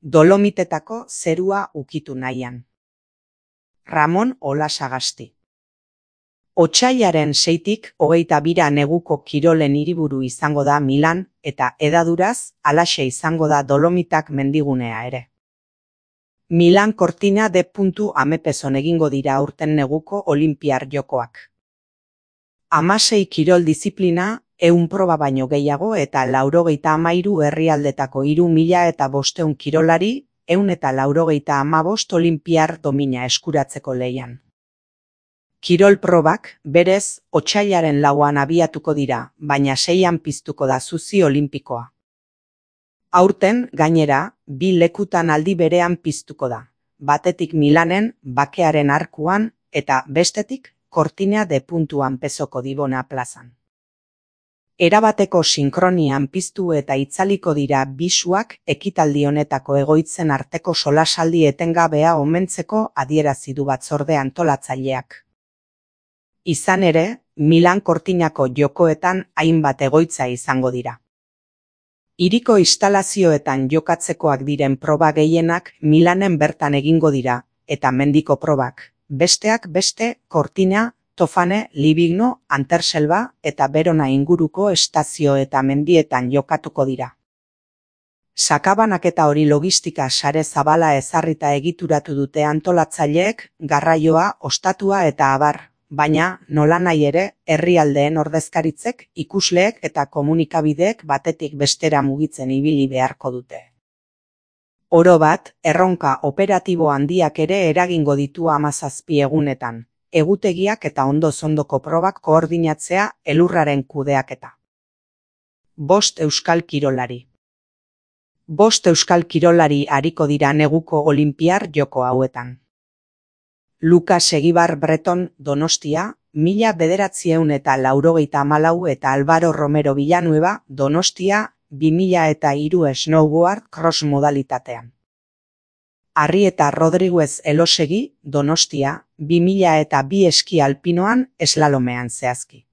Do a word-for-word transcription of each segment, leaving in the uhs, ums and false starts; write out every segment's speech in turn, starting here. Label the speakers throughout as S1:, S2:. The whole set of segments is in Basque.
S1: Dolomitetako zerua ukitu nahian. Ramon Olasagasti. Otsailaren seitik hogeita bira neguko kirolen hiriburu izango da Milan eta hedaduraz halaxe izango da Dolomitak mendigunea ere. Milan Cortina de Amepeson egingo dira aurten neguko Olinpiar Jokoak. Hamasei kirol diziplina, ehun proba baino gehiago eta laurogeita hamairu herrialdetako hiru mila eta bosteun kirolari, ehun eta laurogeita hamabost olinpiar domina eskuratzeko lehian. Kirol probak, berez, otsailaren lauan abiatuko dira, baina seian piztuko da zuzi olinpikoa. Aurten, gainera, bi lekutan aldi berean piztuko da, batetik Milanen, Bakearen Arkuan, eta bestetik, Cortina de Ampezoko Dibona plazan. Erabateko sinkronian piztu eta itzaliko dira bisuak ekitaldi honetako egoitzen arteko solasaldi etengabea omentzeko adierazi du batzorde antolatzaileak. Izan ere, Milan Cortinako jokoetan hainbat egoitza izango dira. Hiriko instalazioetan jokatzekoak diren proba gehienak Milanen bertan egingo dira, eta mendiko probak, besteak beste Cortina, Tofane, Livigno, Anterselva eta Verona inguruko estazio eta mendietan jokatuko dira. Sakabanaketa hori logistika sare zabala ezarrita egituratu dute antolatzaileek, garraioa, ostatua eta abar, baina, nolanahi ere, herrialdeen ordezkaritzek, ikusleek eta komunikabideek batetik bestera mugitzen ibili beharko dute. Oro bat, erronka operatibo handiak ere eragingo ditu hamazazpi egunetan. Egutegiak eta ondo-ondoko probak koordinatzea elurraren kudeaketa. Bost euskal kirolari. Bost euskal kirolari ariko dira neguko Olinpiar Joko hauetan. Lukas Egibar Breton Donostia, mila bederatzieun eta laurogeita hamalau eta Álvaro Romero Villanueva Donostia, bi mila eta hiru snowboard cross modalitatean. Arrieta Rodriguez Elosegi, Donostia, bi mila eta bi eski alpinoan eslalomean zehazki.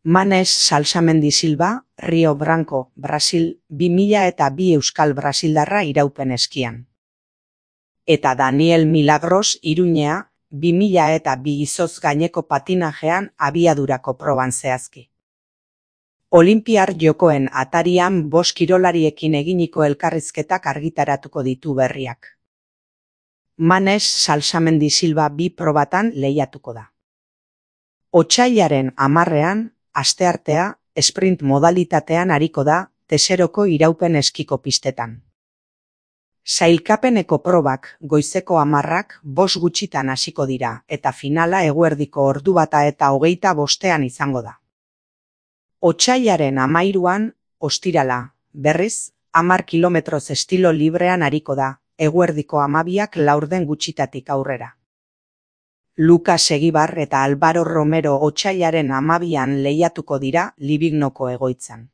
S1: Manes Salsamendi Silva, Rio Branco, Brasil, bi mila eta bi euskal brasildarra iraupen eskian. Eta Daniel Milagros Iruñea, bi mila eta bi izoz gaineko patinajean abiadurako proban zehazki. Olinpiar Jokoen atarian bost kirolariekin eginiko elkarrizketak argitaratuko ditu berriak. Manes Salsamendi Silva bi probatan lehiatuko da. Otsailaren hamarrean, asteartea, sprint modalitatean ariko da, Teseroko iraupen eskiko pistetan. Sailkapeneko probak, goizeko hamarrak, bost gutxitan hasiko dira, eta finala eguerdiko ordu bata eta hogeita bostean izango da. Otsailaren hamairuan, ostirala, berriz, hamar kilometroz estilo librean ariko da, eguerdiko hamabiak laurden gutxitatik aurrera. Lukas Egibar eta Álvaro Romero otsailaren hamabian lehiatuko dira Livignoko egoitzan.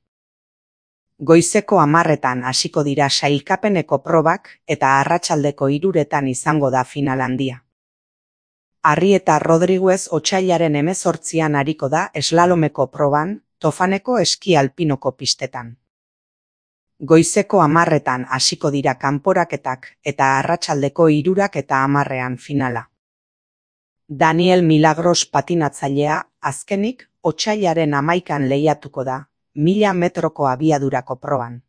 S1: Goizeko hamarretan hasiko dira sailkapeneko probak eta arratsaldeko hiruretan izango da final handia. Arrieta Rodriguez otsailaren hemezortzian ariko da eslalomeko proban, Tofaneko eski alpinoko pistetan. Goizeko hamarretan hasiko dira kanporaketak eta arratsaldeko hirurak eta hamarrean finala. Daniel Milagros patinatzailea, azkenik, otsailaren hamaikan lehiatuko da, mila metroko abiadurako proban.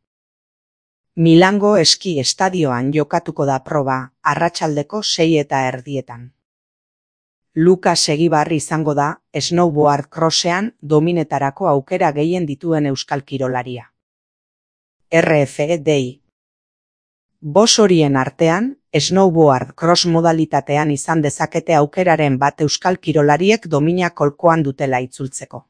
S1: Milango eski estadioan jokatuko da proba, arratsaldeko sei eta erdietan. Lukas Egibar izango da, snowboard crossean dominetarako aukera gehien dituen euskal kirolaria. R F D I. Bos horien artean, snowboard cross modalitatean izan dezakete aukeraren bat euskal kirolariek domina kolkoan dutela itzultzeko.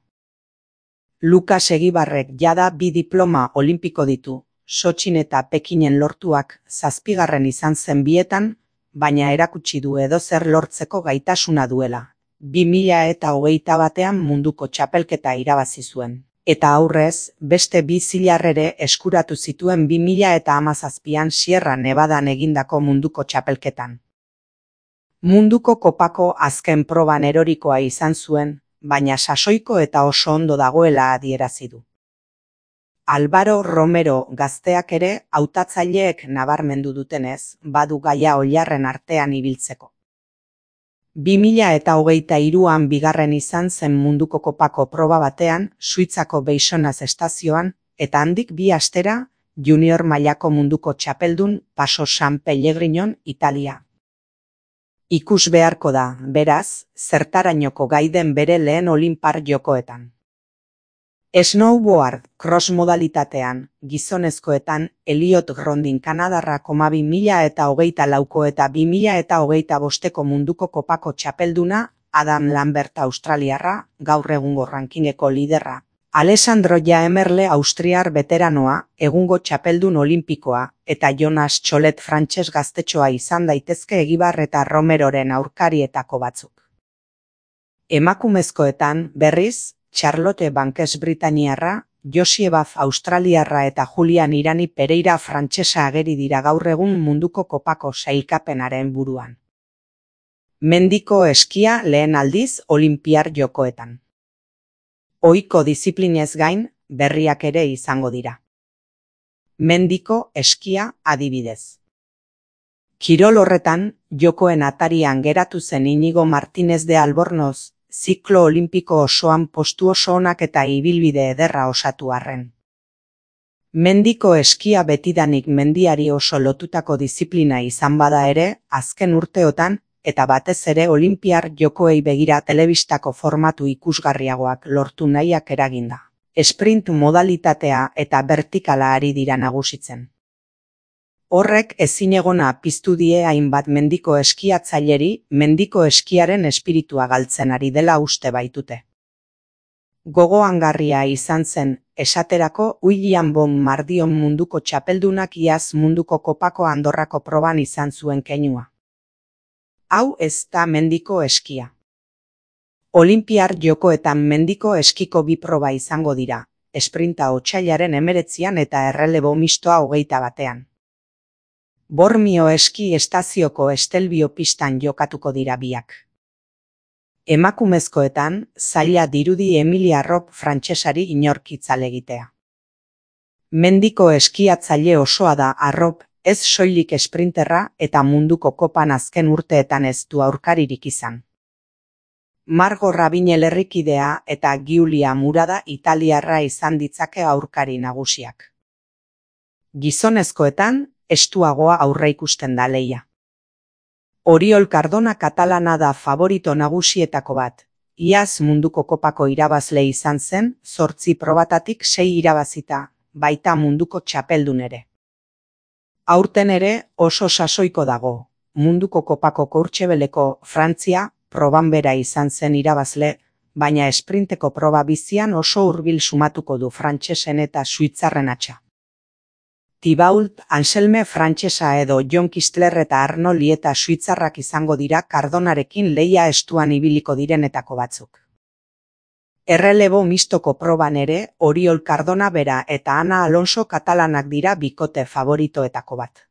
S1: Lukas Egibarrek jada bi diploma olimpiko ditu, Sotxin eta Pekinen lortuak zazpigarren izan zen bietan, baina erakutsi du edozer lortzeko gaitasuna duela. bi mila eta hogeita batean munduko txapelketa irabazi zuen. Eta aurrez, beste bi zilarrere eskuratu zituen bi mila eta hamazazpian Sierra Nevadan egindako munduko txapelketan. Munduko kopako azken proban erorikoa izan zuen, baina sasoiko eta oso ondo dagoela adierazi du. Álvaro Romero gazteak ere hautatzaileek nabarmendu dutenez, badu gaia oilarren artean ibiltzeko. bi mila eta hogeita hiruan bigarren izan zen munduko kopako proba batean, Suitzako Beisonaz estazioan, eta handik bi astera, junior mailako munduko txapeldun Paso San Pellegrinon, Italia. Ikus beharko da, beraz, zertarainoko gai den bere lehen Olinpiar Jokoetan. Snowboard cross modalitatean, gizonezkoetan, Elliot Grondin Kanadarra bi mila eta hogeita lauko eta bi mila eta hogeita bosteko munduko kopako txapelduna, Adam Lambert Australiarra, gaur egungo rankingeko liderra, Alessandro Jaemerle Austriar veteranoa, egungo txapeldun olimpikoa, eta Jonas Txolet frantses gaztetxoa izan daitezke Egibar eta Romeroren aurkarietako batzuk. Emakumezkoetan, berriz, Charlotte Bankes Britaniarra, Josie Baf Australiarra eta Julian Irani Pereira frantsesa ageri dira gaur egun munduko kopako sailkapenaren buruan. Mendiko eskia lehen aldiz Olinpiar Jokoetan. Ohiko diziplinez gain, berriak ere izango dira. Mendiko eskia adibidez. Kirol horretan, jokoen atarian geratu zen Inigo Martínez de Albornoz, ziklo olimpiko osoan postu oso onak eta ibilbide ederra osatu arren. Mendiko eskia betidanik mendiari oso lotutako diziplina izan bada ere, azken urteotan, eta batez ere Olinpiar Jokoei begira telebistako formatu ikusgarriagoak lortu nahiak eraginda. Sprint modalitatea eta vertikala ari dira nagusitzen. Horrek ezinegona piztu die hainbat mendiko eskiatzaileri mendiko eskiaren espiritua galtzen ari dela uste baitute. Gogoangarria izan zen, esaterako William Bon Mardion munduko txapeldunak iaz munduko kopako Andorrako proban izan zuen keinua. Hau ez da mendiko eskia. Olinpiar Jokoetan mendiko eskiko bi proba izango dira, esprinta otsailaren hemeretzian eta errelebo mistoa hogeita batean. Bormio eski estazioko Estelbio pistan jokatuko dira biak. Emakumezkoetan, zaila dirudi Emilia Arrop frantsesari inorkitzal egitea. Mendiko eskiatzaile osoa da Arrop, ez soilik esprinterra eta munduko kopan azken urteetan ez du aurkaririk izan. Margo Rabinel herrikidea eta Giulia Murada italiarra izan ditzake aurkari nagusiak. Gizonezkoetan, estuagoa aurreikusten da lehia. Oriol Cardona katalana da favorito nagusietako bat. Iaz munduko kopako irabazle izan zen, zortzi probatatik sei irabazita, baita munduko txapeldun ere. Aurten ere oso sasoiko dago. Munduko kopako Courchebeleko Frantzia proban bera izan zen irabazle, baina esprinteko proba bizian oso hurbil sumatuko du frantsesen eta suitzarren atxa. Thibault Anselme frantsesa edo Jon Kistler eta Arno Lieta suitzarrak izango dira Cardonarekin lehia estuan ibiliko direnetako batzuk. Errelebo mistoko proban ere Oriol Cardona bera eta Ana Alonso katalanak dira bikote favoritoetako bat.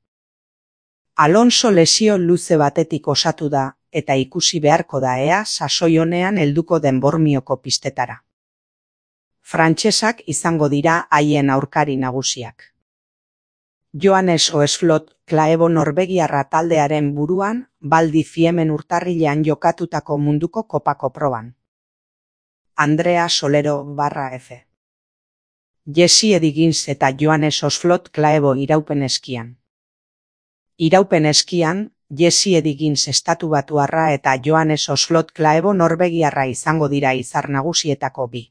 S1: Alonso lesio luze batetik osatu da eta ikusi beharko da ea sasoi honean helduko den Bormioko pistetara. Frantsesak izango dira haien aurkari nagusiak. Johannes Oesflot Klaebo norvegiarra taldearen buruan, Baldi Fiemen urtarrilean jokatutako munduko kopako proban. Andrea Solero barra F. Jesse Edigins eta Johannes Oesflot Klaebo iraupen eskian. Iraupen eskian, Jesse Edigins estatubatuarra eta Johannes Oesflot Klaebo norvegiarra izango dira izar nagusietako bi.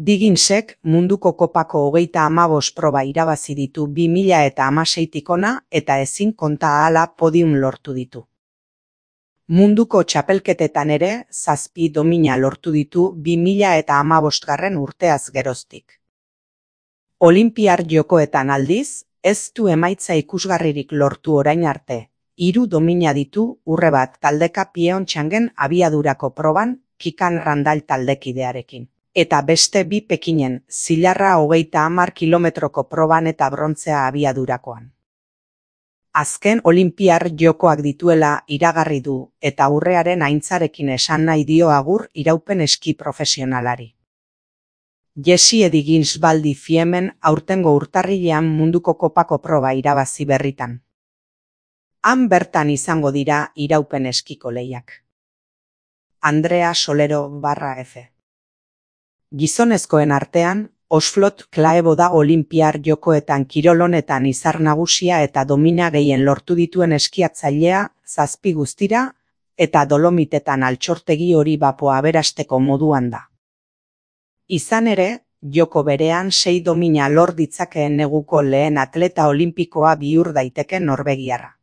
S1: Digginsek munduko kopako hogeita hamabost proba irabazi ditu bi mila eta hamaseitik hona eta ezin konta ahala podium lortu ditu. Munduko txapelketetan ere zazpi domina lortu ditu bi mila eta hamabostgarren urteaz geroztik. Olinpiar Jokoetan aldiz, ez du emaitza ikusgarririk lortu orain arte, hiru domina ditu urre bat taldeka Pyeongchangen abiadurako proban Kikan Randall taldekidearekin. Eta beste bi Pekinen, zilarra hogeita hamar kilometroko proban eta brontzea abiadurakoan. Azken Olinpiar Jokoak dituela iragarri du eta urrearen aintzarekin esan nahi dio agur iraupen eski profesionalari. Jesse Edigins Baldi Fiemen aurtengo urtarrilean munduko kopako proba irabazi berritan. Han bertan izango dira iraupen eskiko lehiak. Andrea Solero barra F. Gizonezkoen artean, Osflot Klaebo da Olinpiar Jokoetan kirol honetan izar nagusia eta domina gehien lortu dituen eskiatzailea, zazpi guztira, eta Dolomitetan altxortegi hori bapoa aberasteko moduan da. Izan ere, joko berean sei domina lor ditzakeen neguko lehen atleta olimpikoa bihur daiteke norbegiarra.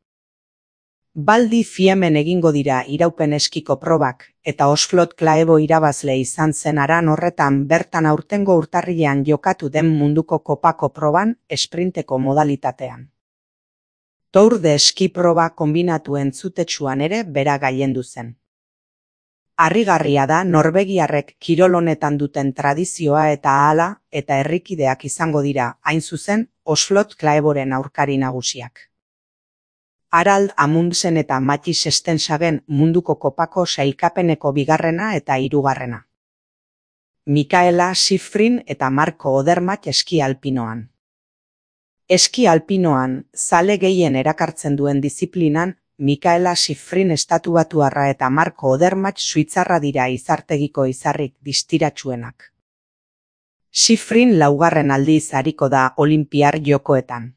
S1: Baldi Fiemen egingo dira iraupen eskiko probak, eta Osflot Klaebo irabazle izan zen haran horretan bertan aurtengo urtarrilean jokatu den munduko kopako proban esprinteko modalitatean. Tour de Ski proba kombinatu entzutetsuan ere bera gailendu zen. Harrigarria da norbegiarrek kirol honetan duten tradizioa eta ahala eta herrikideak izango dira, hain zuzen, Osflot Klaeboren aurkari nagusiak. Harald Amundsen eta Matthijs Stensagen munduko kopako sailkapeneko bigarrena eta hirugarrena. Mikaela Shiffrin eta Marco Odermatt eski alpinoan. Eski alpinoan, zale gehien erakartzen duen diziplinan, Mikaela Shiffrin estatuatuarra eta Marco Odermatt suitzarra dira izartegiko izarrik distiratsuenak. Shiffrin laugarren aldiz ariko da Olinpiar Jokoetan.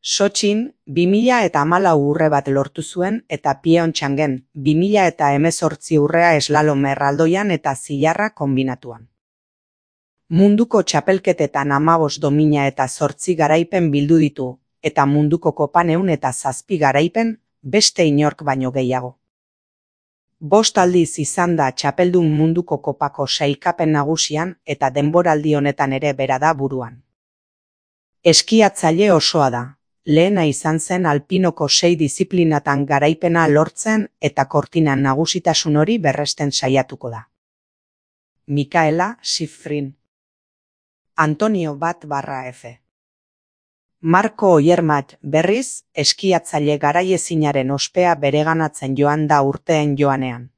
S1: Sotxin, bi mila eta hamalau urre bat lortu zuen eta Pyeongchangen, bi mila eta hemezortzi urrea eslalom erraldoian eta zilarra kombinatuan. Munduko txapelketetan hamabost domina eta zortzi garaipen bildu ditu, eta munduko kopan ehun eta zazpi garaipen, beste inork baino gehiago. Bost aldiz izan da txapeldun munduko kopako sailkapen nagusian eta denboraldi honetan ere bera da buruan. Eskiatzaile osoa da. Lehena izan zen alpinoko sei disiplinatan garaipena lortzen eta kortinan nagusitasun hori berresten saiatuko da. Mikaela Shiffrin. Antonio Bat barra F. Marco Odermatt berriz, eskiatzaile garaiezinaren ospea bereganatzen joan da urteen joanean.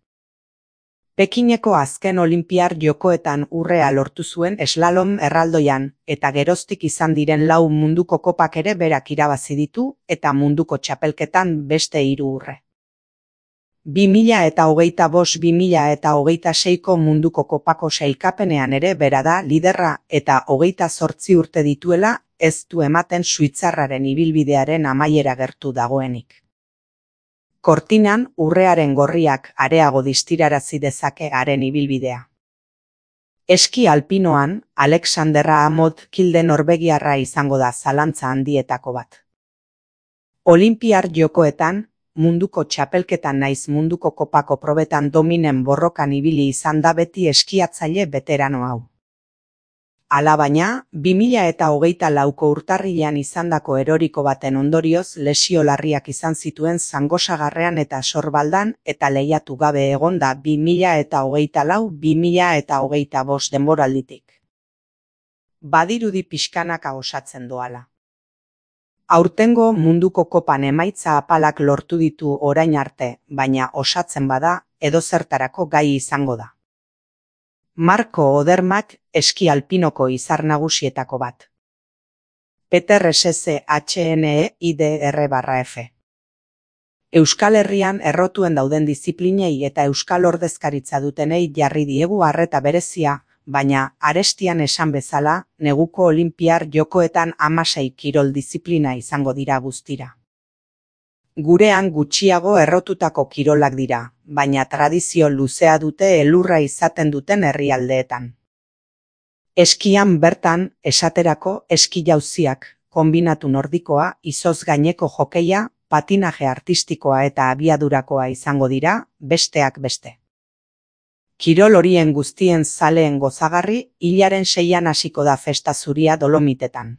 S1: Pekineko azken Olinpiar Jokoetan urrea lortu zuen eslalom erraldoian, eta geroztik izan diren lau munduko kopak ere berak irabazi ditu, eta munduko txapelketan beste hiru urre. bi mila eta hogeita bost bi mila eta hogeita seiko munduko kopako sailkapenean ere bera da liderra eta hogeita zortzi urte dituela ez du ematen suitzarraren ibilbidearen amaiera gertu dagoenik. Kortinan urrearen gorriak areago distirarazi dezake haren ibilbidea. Eski alpinoan, Alexandra Amod Kilde norbegiarra izango da zalantza handietako bat. Olinpiar Jokoetan, munduko txapelketan naiz munduko kopako probetan dominen borrokan ibili izan da beti eskiatzaile beterano hau. Alabaina, bi mila eta hogeita lauko urtarrilean izandako eroriko baten ondorioz lesio larriak izan zituen Zangosagarrean eta Sorbaldan eta lehiatu gabe egon da bi mila eta hogeita lau bi mila eta hogeita bost denboralditik. Badirudi pixkanaka osatzen doala. Aurtengo munduko kopan emaitza apalak lortu ditu orain arte, baina osatzen bada edozertarako gai izango da. Marco Odermatt eski alpinoko izar nagusietako bat. Peter S S H N E I D R barra F. Euskal Herrian errotuen dauden disiplinei eta euskal ordezkaritza dutenei jarri diegu arreta berezia, baina arestian esan bezala, neguko Olinpiar Jokoetan hamasei kirol disiplina izango dira guztira. Gurean gutxiago errotutako kirolak dira, baina tradizio luzea dute elurra izaten duten herrialdeetan. Eskian bertan, esaterako eski jauziak, konbinatu nordikoa, izoz gaineko jokeia, patinaje artistikoa eta abiadurakoa izango dira, besteak beste. Kirol horien guztien zaleen gozagarri, hilaren seian hasiko da festa zuria Dolomitetan.